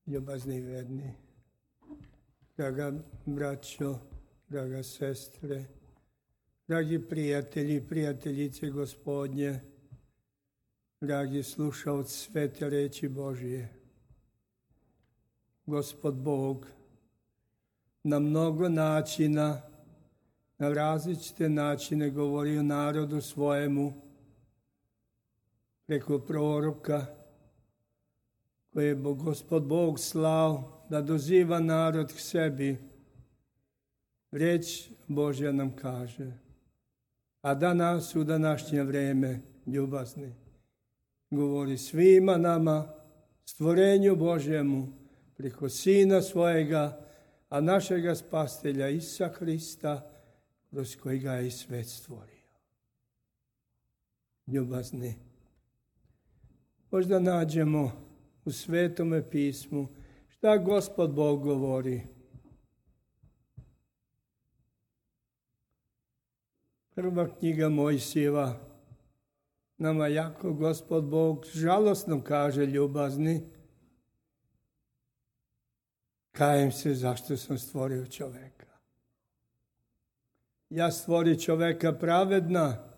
Ljubazni verni, draga braćo, draga sestre, dragi prijatelji i prijateljice Gospodnje, dragi slušaoci svete reči Božije. Gospod Bog na mnogo načina, na različite načine govori o narodu svojemu, preko proroka, koje je Gospod Bog slao da doziva narod k sebi. Reč Božja nam kaže, a danas u današnje vreme, ljubazni, govori svima nama, stvorenju Božjemu, preko Sina svojega, a našega Spastelja Isusa Hrista, kroz kojega je i svet stvorio. Ljubazni, možda nađemo u Svetome pismu šta Gospod Bog govori. Prva knjiga Mojsijeva nama jako Gospod Bog žalostno kaže, ljubazni, kajem se zašto sam stvorio čoveka. Ja stvori čoveka pravedna,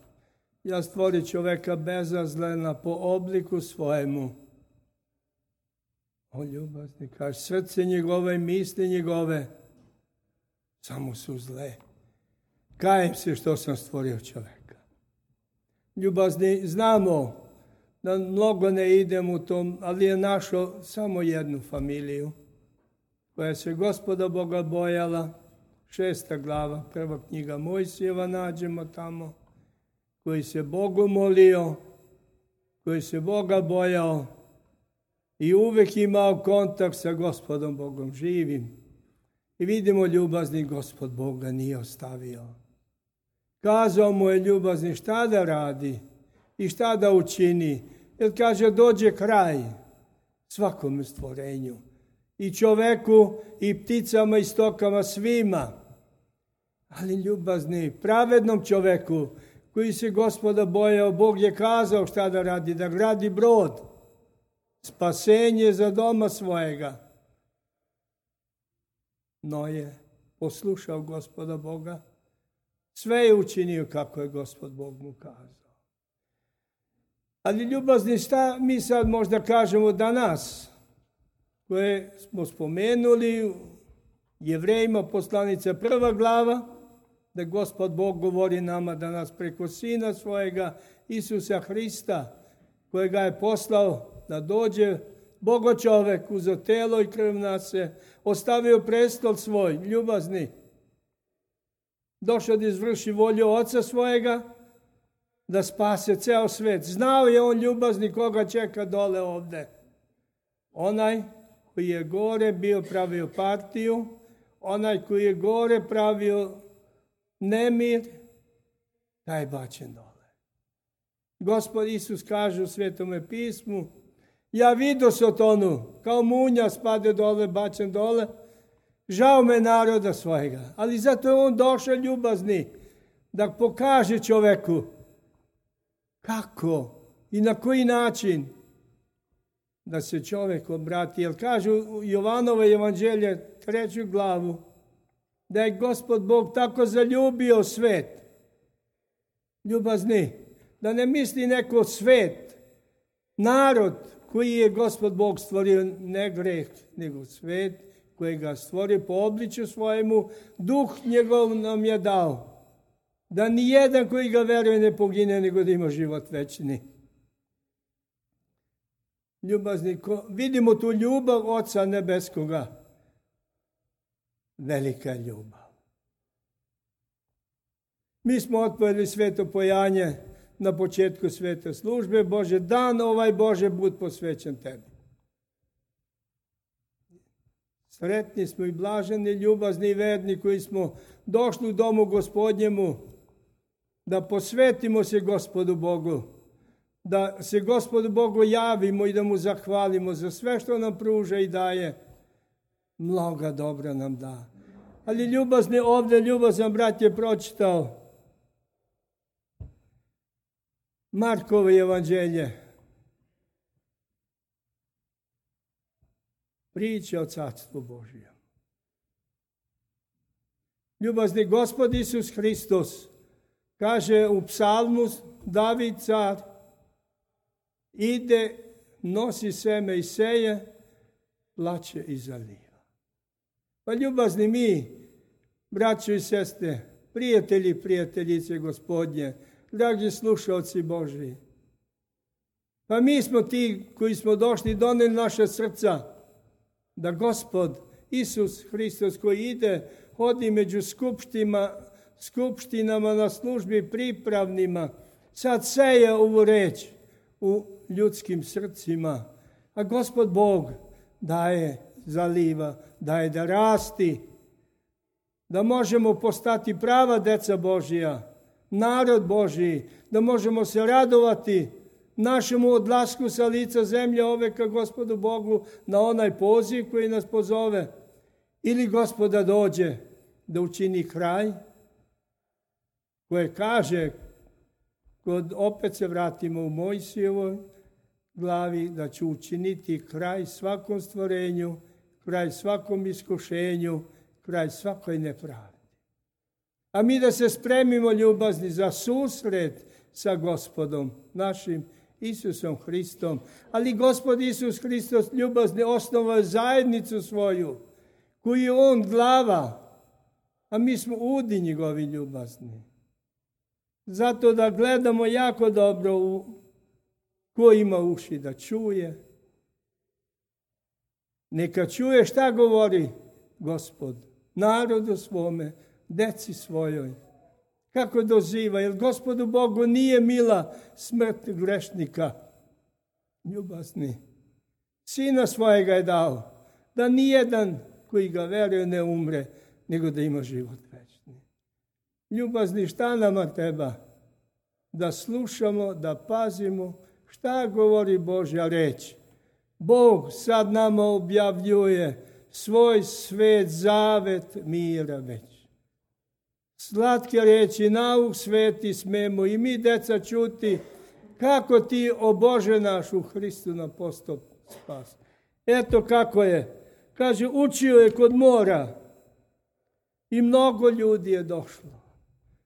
ja stvori čoveka bezazlena po obliku svojemu. O ljubazni, kaže, srce njegove i misli njegove samo su zle. Kajem se što sam stvorio čoveka. Ljubazni, znamo da mnogo ne idem u tom, ali je našao samo jednu familiju koja se Gospoda Boga bojala. 6. glava, prva knjiga Mojsijeva nađemo tamo, koji se Bogu molio, koji se Boga bojao i uvek imao kontakt sa Gospodom Bogom živim. I vidimo, ljubazni, Gospod Boga nije ostavio. Kazao mu je, ljubazni, šta da radi i šta da učini. Jer kaže, dođe kraj svakome stvorenju. I čoveku, i pticama, i stokama, svima. Ali ljubazni, pravednom čoveku, koji se Gospoda bojao, Bog je kazao šta da radi, da gradi brod. Spasenje za doma svojega. Noje poslušao Gospoda Boga. Sve je učinio kako je Gospod Bog mu kazao. Ali ljubazni, šta mi sad možda kažemo danas, koje smo spomenuli, Jevrejima poslanica 1. glava, da Gospod Bog govori nama danas preko Sina svojega, Isusa Hrista, kojega je poslao da dođe Bogo čovek, uzeo telo i krv nase, ostavio prestol svoj, ljubazni, došao da izvrši volju Oca svojega, da spase ceo svet. Znao je on, ljubazni, koga čeka dole ovde. Onaj koji je gore bio pravio partiju, onaj koji je gore pravio nemir, taj je bačen dole. Gospod Isus kaže u Svetome pismu, ja vidio Sotonu, kao munja spade dole, bačen dole, žao me naroda svojega, ali zato je on došao, ljubazni, da pokaže čoveku kako i na koji način da se čovek obrati. Jer kažu u Jovanova evanđelje 3. glavu, da je Gospod Bog tako zaljubio svet. Ljubazni, da ne misli neko svet, narod koji je Gospod Bog stvorio, ne greh, nego svet koji ga stvorio po obličju svojemu, duh njegov nam je dao. Da ni jedan koji ga veruje ne pogine, nego da ima život večni. Ljubazni, vidimo tu ljubav Oca nebeskoga. Velika ljubav. Mi smo otpojili sveto pojanje na početku svete službe. Bože, dan ovaj Bože, bud posvećen tebi. Sretni smo i blaženi, ljubazni i verni koji smo došli u domu Gospodnjemu da posvetimo se Gospodu Bogu, da se Gospodu Bogu javimo i da mu zahvalimo za sve što nam pruža i daje. Mnoga dobra nam da. Ali ljubazni, ovdje ljubazan brat je pročitao Markovo evanđelje, priča o Carstvu Božjem. Ljubazni Gospod Isus Hristos kaže u psalmu David car, ide, nosi seme i seje, plače i zaliva. Pa ljubazni mi, braćo i sestre, prijatelji i prijateljice Gospodnje, dragi slušalci Božji, pa mi smo ti koji smo došli, doneli naše srca, da Gospod Isus Hristos koji ide, hodi među skupštinama na službi pripravnima, sad seje ovu reč u ljudskim srcima, a Gospod Bog daje, zaliva, daje da rasti, da možemo postati prava deca Božja, narod Božji, da možemo se radovati našemu odlasku sa lica zemlje ove ka Gospodu Bogu na onaj poziv koji nas pozove, ili Gospoda dođe da učini kraj, koje kaže, opet se vratimo u Mojsijevoj glavi, da će učiniti kraj svakom stvorenju, kraj svakom iskušenju, kraj svakoj nepravdi. A mi da se spremimo, ljubazni, za susret sa Gospodom našim Isusom Hristom. Ali Gospod Isus Hristos, ljubazni, osnovao zajednicu svoju, koju je on glava, a mi smo udi njegovi, ljubazni. Zato da gledamo jako dobro ko ima uši da čuje. Neka čuje šta govori Gospod narodu svome, deci svojoj. Kako doziva, jer Gospodu Bogu nije mila smrt grešnika. Ljubazni, Sina svojega je dao, da nijedan koji ga veruje ne umre, nego da ima život večni. Ljubazni, šta nama treba? Da slušamo, da pazimo šta govori Božja reč. Bog sad nama objavljuje svoj svet, zavet mira već. Slatke reči, nauk sveti smemo i mi, deca, čuti kako ti, o Bože naš, u Hristu nam postao spas. Eto kako je. Kaže, učio je kod mora i mnogo ljudi je došlo.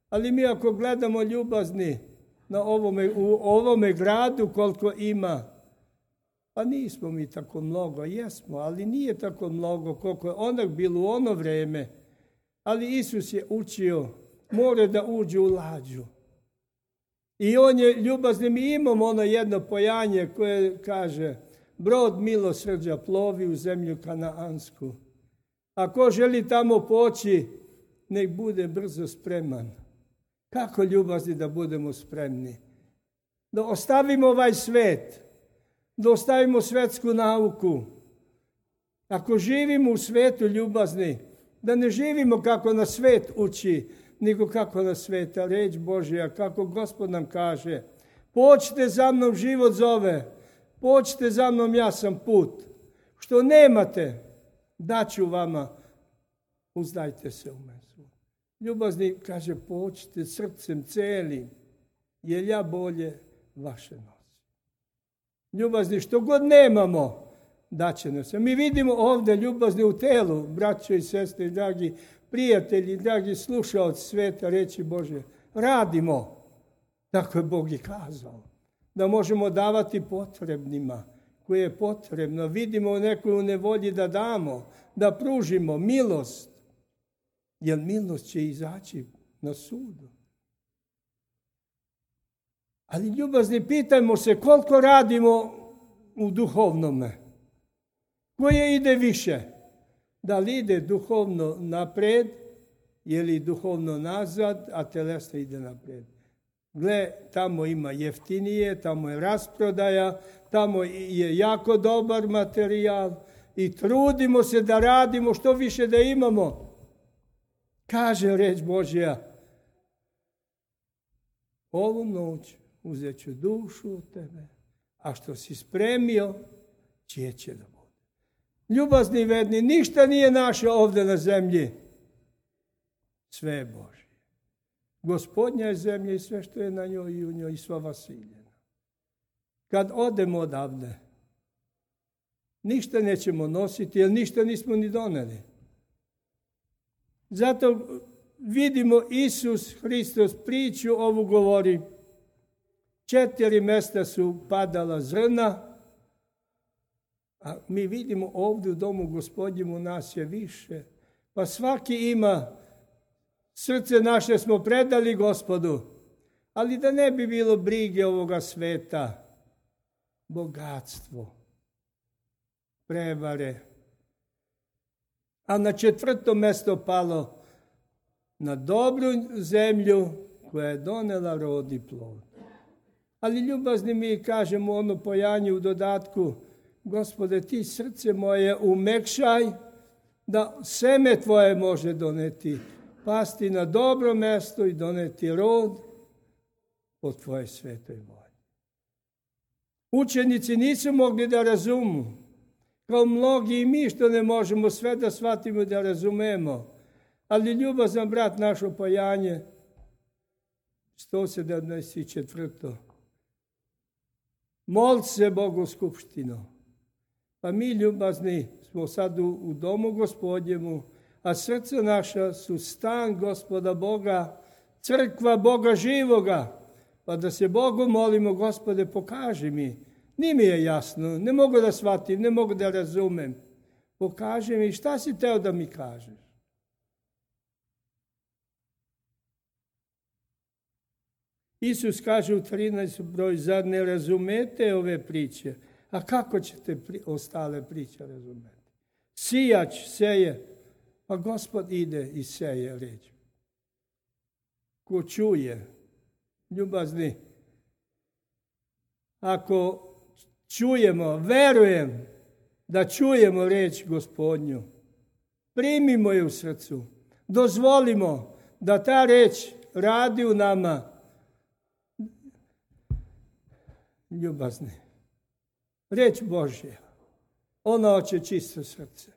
Ali mi ako gledamo, ljubazni, u ovome gradu koliko ima, pa nismo mi tako mnogo, jesmo, ali nije tako mnogo koliko je onak bilo u ono vreme. Ali Isus je učio, more da uđe u lađu. I on je ljubazni, mi imamo ono jedno pojanje koje kaže, brod milosrđa plovi u zemlju kanaansku. Ako želi tamo poći, nek bude brzo spreman. Kako, ljubazni, da budemo spremni? Da ostavimo ovaj svet, da ostavimo svetsku nauku. Ako živimo u svetu, ljubazni, da ne živimo kako nas svet uči, nego kako nas sveta reč Božja, kako Gospod nam kaže. Pođite za mnom, život zove. Pođite za mnom, ja sam put. Što nemate, daću vama, uzdajte se u mene. Ljubazni, kaže, pođite srcem celim, jer ja bolje vaše nosim. Ljubazni, što god nemamo, daće nam se. Mi vidimo ovdje, ljubazni, u telu, braćo i sestre, dragi prijatelji, dragi slušaoci sveta reči Božje, radimo, tako je Bog i kazao, da možemo davati potrebnima, koje je potrebno. Vidimo nekoj u nevolji da damo, da pružimo milost, jer milost će izaći na sudu. Ali, ljubazni, pitajmo se koliko radimo u duhovnome. Koje ide više? Da li ide duhovno napred ili duhovno nazad, a telesno ide napred? Gle, tamo ima jeftinije, tamo je rasprodaja, tamo je jako dobar materijal i trudimo se da radimo što više da imamo. Kaže reč Božja, ovu noć uzet ću dušu od tebe, a što si spremio, čije će da bude. Ljubazni i verni, ništa nije naše ovdje na zemlji. Sve je Božje. Gospodnja je zemlja i sve što je na njoj i u njoj i sva vasiljena. Kad odemo odavde, ništa nećemo nositi, jer ništa nismo ni doneli. Zato vidimo Isus Hristos priču ovu govori. 4 mjesta su padala zrna, a mi vidimo ovdje u domu Gospodnjemu nas je više. Pa svaki ima, srce naše smo predali Gospodu, ali da ne bi bilo brige ovoga sveta, bogatstvo, prevare. A na 4. mjesto palo na dobru zemlju koja je donela rod i plod. Ali ljubazni mi kažemo ono pojanju u dodatku, Gospode, ti srce moje umekšaj, da seme tvoje može doneti, pasti na dobro mjesto i doneti rod po tvoje svetoj volji. Učenici nisu mogli da razumu, kao mnogi i mi što ne možemo sve da shvatimo da razumemo. Ali ljubazan brat našo pojanje, 174. Mol se Bogu skupštino. Pa mi ljubazni smo sad u domu Gospodnjemu, a srce naša su stan Gospoda Boga, crkva Boga živoga. Pa da se Bogu molimo, Gospode, pokaži mi. Nije mi je jasno, ne mogu da shvatim, ne mogu da razumem. Pokaži mi šta si teo da mi kažeš. Isus kaže u 13. broj, zar ne razumete ove priče? A kako ćete ostale priče razumeti? Sijač seje, pa Gospod ide i seje reč. Ko čuje, ljubazni, ako čujemo, verujem da čujemo reč Gospodnju, primimo je u srcu, dozvolimo da ta reč radi u nama. Ljubazni, reč Božja, ona hoće čisto srce.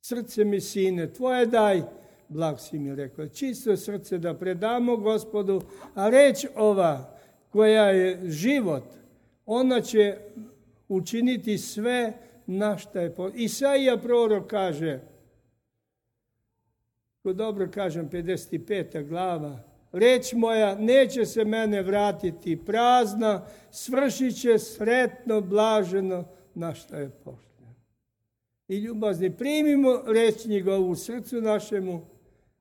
Srce mi, sine, tvoje daj, blag si mi rekao, čisto srce da predamo Gospodu, a reč ova koja je život, ona će učiniti sve na šta je potrebno. Isaija prorok kaže, ko dobro kažem, 55. glava, reč moja neće se mene vratiti prazna, svršit će sretno, blaženo na šta je pošljeno. I ljubazni, primimo reč njegovu u srcu našemu,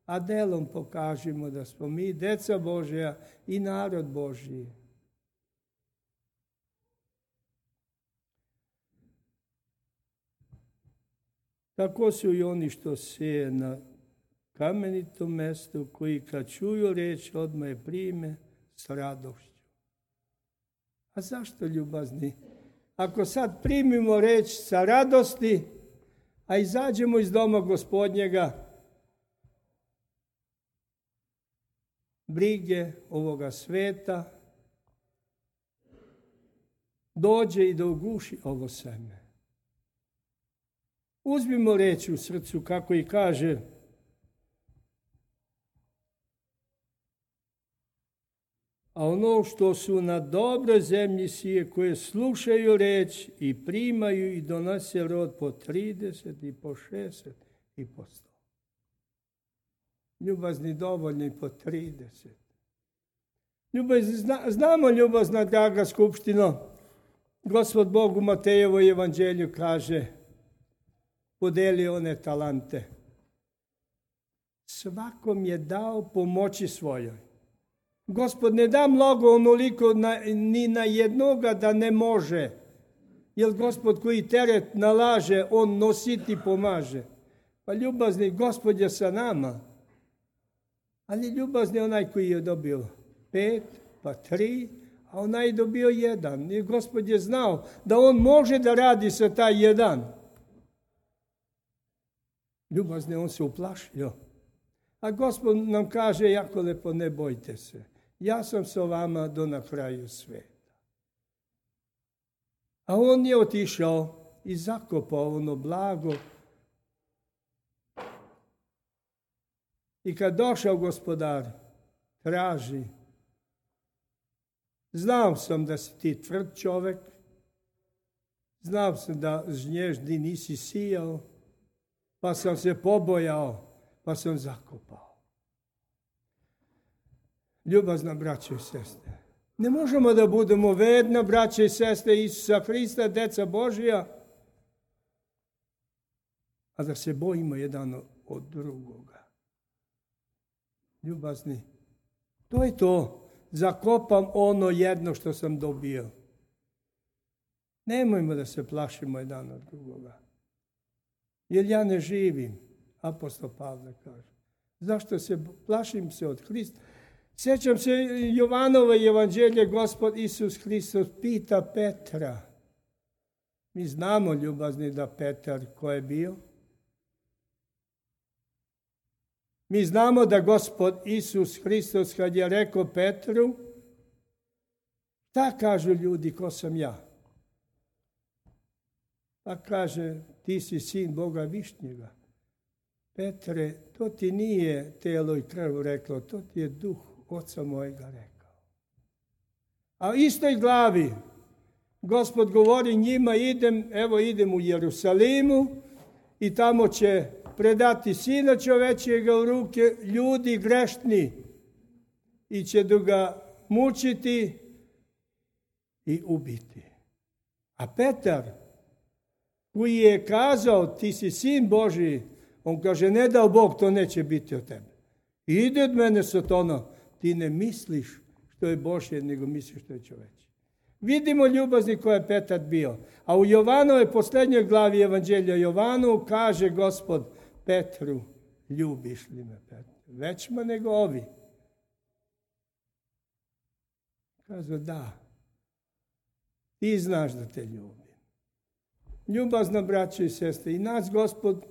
a delom pokažimo da smo mi deca Božja i narod Božji. Tako su i oni što seje na kamenitom mjestu, koji kad čuju reč odmah je prime s radošću. A zašto, ljubazni? Ako sad primimo reč sa radosti, a izađemo iz doma Gospodnjega, brige ovoga sveta, dođe i da uguši ovo seme. Uzmimo reč u srcu, kako i kaže, a ono što su na dobroj zemlji sije, koje slušaju reč i primaju i donose rod po 30 i po 60 i po 100. Ljubazni, dovoljni po 30. Ljubazni, znamo, ljubazna draga skupštino, Gospod Bog u Matejevoj evanđelju kaže, podeli one talante. Svakom je dao pomoći svojoj. Gospod ne da mnogo onoliko ni na jednoga da ne može. Jer Gospod koji teret nalaže, on nositi pomaže. Pa ljubazni, Gospod je sa nama. Ali ljubazni onaj koji je dobio 5, pa 3, a onaj je dobio 1. I Gospod je znao da on može da radi sa taj 1. Ljubazni, on se uplašio. A Gospod nam kaže jako lepo, ne bojte se. Ja sam sa vama do na kraju sveta. A on je otišao i zakopao ono blago. I kad došao Gospodar, traži. Znao sam da si ti tvrd čovek. Znao sam da žnježdi nisi sijao, pa sam se pobojao, pa sam zakopao. Ljubazna braćo i sestre, ne možemo da budemo vedna braće i sestre Isusa Hrista, deca Božija, a da se bojimo jedan od drugoga. Ljubazni, to je to. Zakopam ono jedno što sam dobio. Nemojmo da se plašimo jedan od drugoga. Jer ja ne živim, apostol Pavle kaže. Zašto se plašim se od Hrista? Sjećam se Jovanove evanđelje, Gospod Isus Hristos pita Petra. Mi znamo, ljubazni, da Petar ko je bio? Mi znamo da Gospod Isus Hristos kad je rekao Petru, šta kažu ljudi, ko sam ja? Pa kaže, ti si sin Boga Višnjega. Petre, to ti nije telo i krv reklo, to ti je duh Oca mojega rekao. A u istoj glavi Gospod govori njima, idem u Jerusalimu i tamo će predati Sina čovečijega u ruke ljudi grešni i će da ga mučiti i ubiti. A Petar, koji je kazao ti si sin Božiji, on kaže ne dao Bog, to neće biti od tebe. Ide od mene Sotona, ti ne misliš što je Božje, nego misliš što je čoveče. Vidimo ljubazni ko je Petar bio. A u Jovanovoj posljednjoj glavi Evanđelja Jovanu kaže Gospod Petru, ljubiš li me Petru? Većma nego ovi. Kaže da, ti znaš da te ljubim. Ljubazna braćo i sestre, i nas Gospod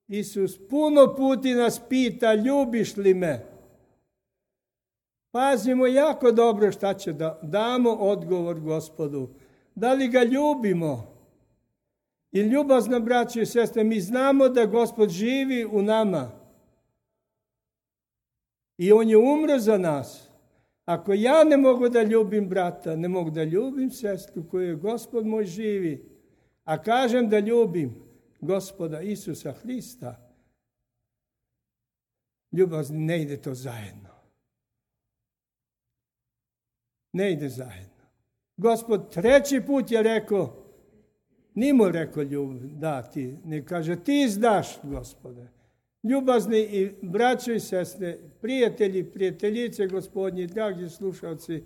Isus puno puti nas pita, ljubiš li me? Pazimo jako dobro šta će da damo odgovor Gospodu. Da li ga ljubimo? I ljubazna braćo i sestre, mi znamo da Gospod živi u nama. I on je umro za nas. Ako ja ne mogu da ljubim brata, ne mogu da ljubim sestru koju je Gospod moj živi, a kažem da ljubim Gospoda Isusa Hrista, ljubazni, ne ide to zajedno. Ne ide zajedno. Gospod treći put je rekao, nije mu rekao da ti, ne kaže ti znaš, Gospode. Ljubazni i braćo i sestre, prijatelji, prijateljice Gospodnji, dragi slušalci,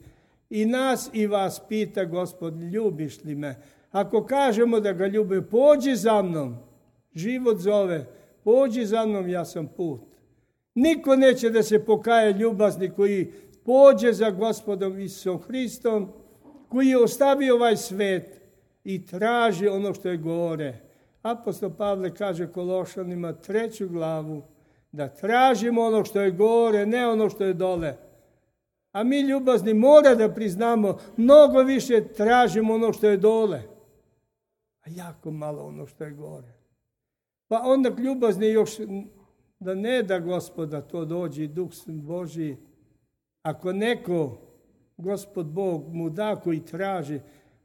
i nas i vas pita Gospod, ljubiš li me? Ako kažemo da ga ljubimo, pođi za mnom, život zove, pođi za mnom, ja sam put. Niko neće da se pokaje ljubazni koji pođe za Gospodom Isusom Hristom, koji je ostavio ovaj svet i traži ono što je gore. Apostol Pavle kaže Kološanima 3. glavu, da tražimo ono što je gore, ne ono što je dole. A mi ljubazni mora da priznamo, mnogo više tražimo ono što je dole, a jako malo ono što je gore. Pa onda ljubazni još da ne da Gospoda to dođe, Duh Božji. Ako neko, Gospod Bog mu da koji traži,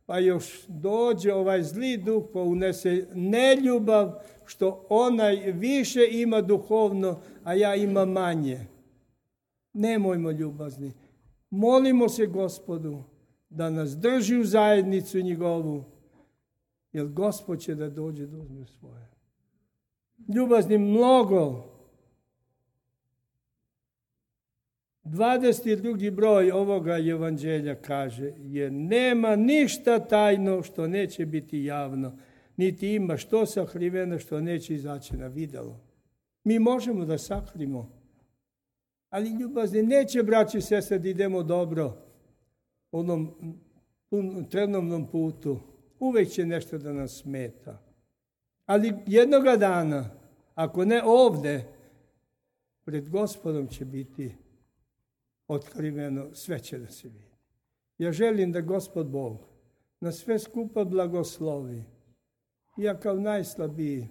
pa još dođe ovaj zli duh, pa unese neljubav, što onaj više ima duhovno, a ja imam manje. Nemojmo ljubazni. Molimo se Gospodu da nas drži u zajednicu njegovu, jer Gospod će da dođe da uzme svoje. Ljubazni mnogo. 22. broj ovoga evanđelja kaže, jer nema ništa tajno što neće biti javno, niti ima što sakriveno što neće izaći na videlo. Mi možemo da sakrimo, ali ljubazni neće, braći i sestre, da idemo dobro onom trenovnom putu. Uvijek će nešto da nas smeta. Ali jednoga dana, ako ne ovde, pred Gospodom će biti otkriveno, sve će da se vidi. Ja želim da Gospod Bog na sve skupa blagoslovi. Ja kao najslabiji,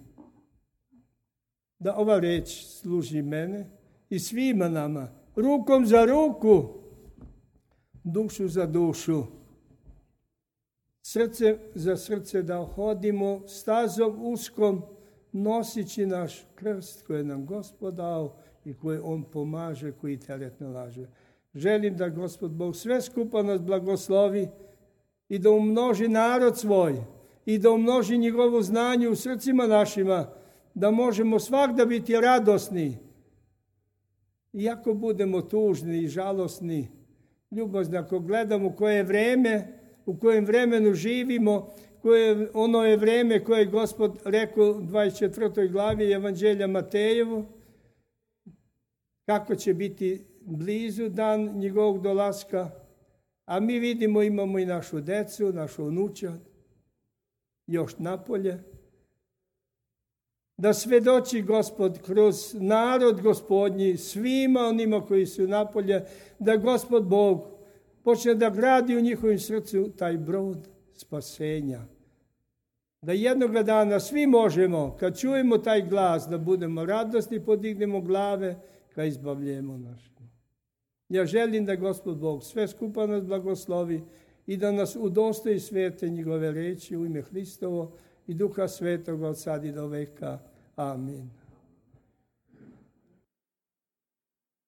da ova reč služi mene i svima nama, rukom za ruku, dušu za dušu, srce za srce da hodimo stazom uskom, nosići naš krst koji je nam Gospod dao i koji on pomaže, koji teret nalaže. Želim da Gospod Bog sve skupa nas blagoslovi i da umnoži narod svoj i da umnoži njegovo znanje u srcima našima, da možemo svakda biti radosni. Iako budemo tužni i žalosni, ljubazni, ako gledamo koje vreme, u kojem vremenu živimo, ono je vreme koje je Gospod rekao u 24. glavi Evanđelja Matejevu, kako će biti blizu dan njegovog dolaska, a mi vidimo, imamo i našu decu, našu unučad, još napolje, da svedoči Gospod kroz narod Gospodnji, svima onima koji su napolje, da Gospod Bog počne da gradi u njihovim srcu taj brod spasenja. Da jednoga dana svi možemo, kad čujemo taj glas, da budemo radosni, podignemo glave, ka izbavljemo našemu. Ja želim da Gospod Bog sve skupa nas blagoslovi i da nas udostoji svete njegove reči u ime Hristovo i Duha Svetoga od sad i do veka. Amin.